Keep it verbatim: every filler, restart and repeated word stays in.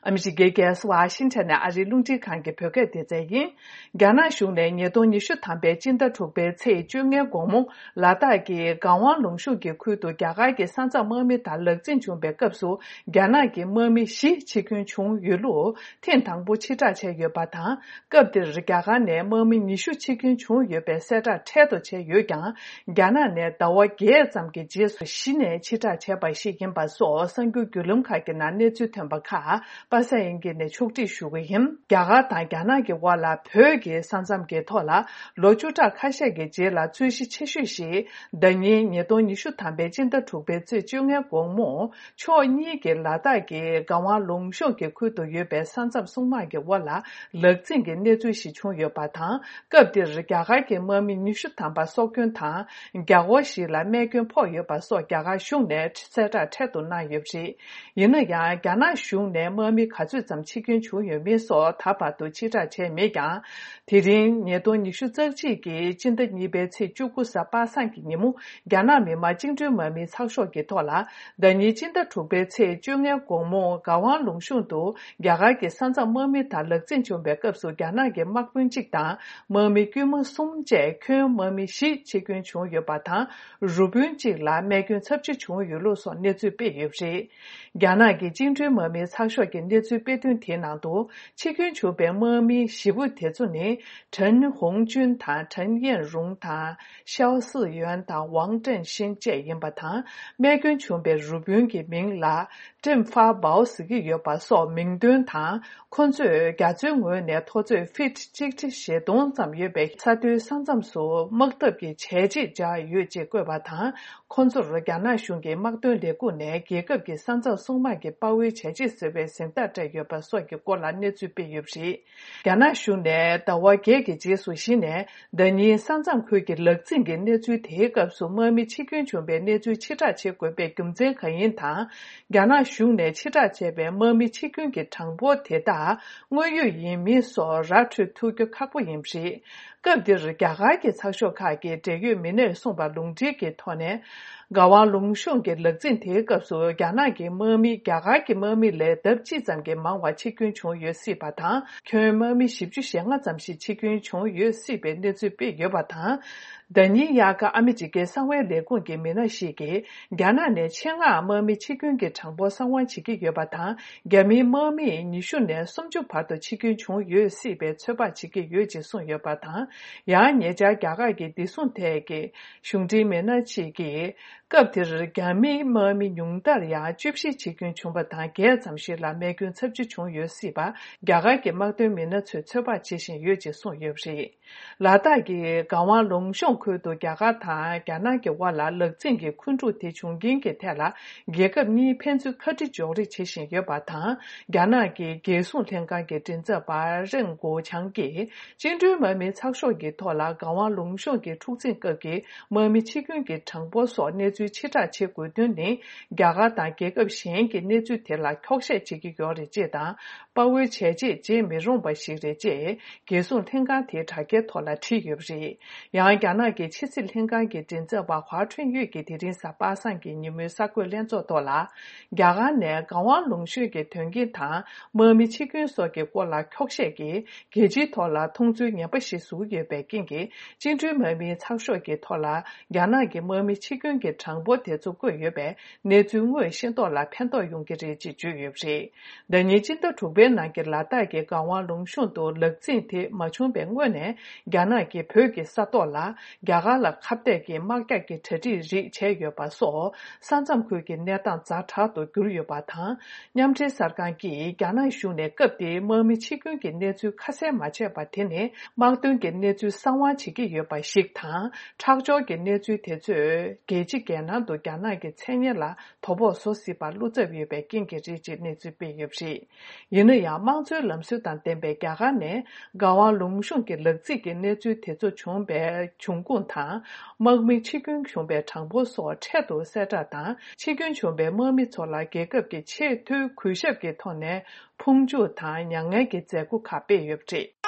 Amishige gas Washington ari lungji kange pyoge dezayin. Gana shungne nyedo nishu tambe jinda chukbe tse junge gongmong lada ge gangwang lungshu ge kuido gyaga ge sanza momi ta lekzin chungbe gabsu gana ge momi shi chikun chung yulu ten tangbu chita che yu batang gabdir gyaga ne momi nishu chikun chung yu be seta tedo che yu gyang gana ne dawa ge zamge jesu shi ne chita che ba shi gen ba so sangyu gyulum ka ge na ne zu tenba ka basa inge ne chukti shuwe him gyaga ta gana ge wala pyo ge sanzam ge tola lochuta kasha ge je la zuishi chishu shi danyi nyedo nishu tambe jinda chukbe zui junge gongmo cho ni ge lada ge gawa longsho ge kuido yu be sanzam sungma ge wala lekzin ge ne zui shi chung yu ba tang gabdir gyaga ge momi nishu tamba sokyun tang gyago shi la mekyun po yu ba so gyaga shung ne seta tedo na yu shi yina ya gyana shung ne momi kazu zam chikyun chung yu mi so taba do chita che me gyang tirin nyedo nishu zerji ge jinda nibe ce jugu sa ba san ki nimu gyana me ma jingzhu momi caksho ge tola danyi jinda chukbe ce junge gongmo gawang longshung do gyaga ge sanza momi ta lekzin chung be gabsu gyana ge makbun jik tang momi gyumo sum je kyun momi shi chikyun chung yu ba tang rubun jik la mekyun chapchi chung yu lo so ne zui be yu shi gyana ge jingzhu momi caksho ge ne zui be dun tie nang do chikyun chung be momi shibu tie zu ne Chen Hongjun tang Chen Yanrong tang Xiao Siyuan tang Wang Zhenxin jie yin ba tang mekyun chung be rubun ge ming la zhen fa bao si ge yu ba so ming dun tang kun zu ga zui ngui ne to zui fit jik jik xie dong zam yu be sa du sang zam su mak de ge che ji ja yu ji gui ba tang kun zu ru ga na shung ge mak dun le gu ne ge ge ge sang zang song ma ge bao wei che ji se be sen da zhe yu ba so ge guo la ne zu be yu shi ga na shung ne da wa ge ge ji su shi ne de ni sang zang kui ge le zin ge ne zu te ge su mo mi chi kyun chung be ne zu chi ta che gui be gum zhen kan yin tang ga na shung ne chi ta che be mo mi chi kyun ge chang bo te da ngui yu yin mi so ra chu tu ge ka bu yin shi gabdir gyaga ge caksho ka ge de yu mi ne song ba long ji ge to ne gawa longshong ge lekzin te gabsu gyana ge momi gyaga ge momi le dab chi zam ge mangwa chi kyun chung yu si ba tang kyun momi shibju shenga zam shi chi kyun chung yu si be ne zu be yu ba tang danyi ya ka amiji ge sangwe le gun ge mi na shi ge gyana ne chenga momi chi kyun ge changbo sangwan chi ge yu ba tang gyami momi nishu ne somju pa do chi kyun chung yu si be choba chi ge yu ji sung yu ba tang ya nye ja gyaga ge di sun te ge shungji me na chi ge gabdir gyami momi nyungdar ya jubshi chi kyun chung ba tang ge zamshi la me kyun chapchi chung yu si ba gyaga ge magdo me na chu choba chi shin yu ji sung yu shi lada ge gawang longshong kui do gyaga ta gyana ge wala lekzin ge kunju te chung gin ge tela ge gab ni penzu khati jori chi shin yu ba tang gyana ge ge sung tenga ge jinza ba ren go chang ge jingzhu mo mi caksho ge tola gawang longshong ge chukzin ge ge mo mi chi kyun ge changbo so ne zu chi ta che gu dun ne gyaga ta ge gab shen ge ne zu tela kyokshe chi ge gyo ri je da ba we che je je me rong ba shi re je ge sung tenga te ta ge tola chi yu ri yang gyana ge chi sil tenga ge jinza ba hua chun yu ge de rin sa ba san ge ni me sa gu lian zo tola gyaga ne gawang longshu ge tyong ge ta mo mi chi kyun so ge guo la kyokshe ge ge ji tola tong zu nya ba shi su ge be king ge jing zhu mo mi caksho ge tola gyana ge mo mi chi kyun ge changbo te zu gu yu be ne zu ngui xin do la pian do yong ge ri ji ju yu shi de ni jin de chu be na ge la da ge gawang longshun do lek zin te ma chung be ngwe ne gyana ge pyo ge sa do la gyaga la khap de ge ma ka ge che ji ri che yu ba so san zam khu ge ne dang za cha do gyu yu ba tha nyam che sar kan ki gyana shu ne kap de mo mi chi kyun ge ne zu kha se ma che ba the ne ma tung ge ne zu sang wa chi ge yu ba shik tha chak jo ge ne zu te zu ge ji ge na do gyana ge chen ye la to bo so si ba lu ze yu be king ge ji ji ne zu be yu shi yin ya mang zu lam su dan den be gya ga ne gawa long shung ge lek zi ge ne zu te zu chung be chung gun tha mo mi chi kyun chung be chang bo so che do se da da chi kyun chung be mo mi cho la ge ge ge che tu ku she ge to ne phung ju ta nyang ge ge ze ku kha be yu shi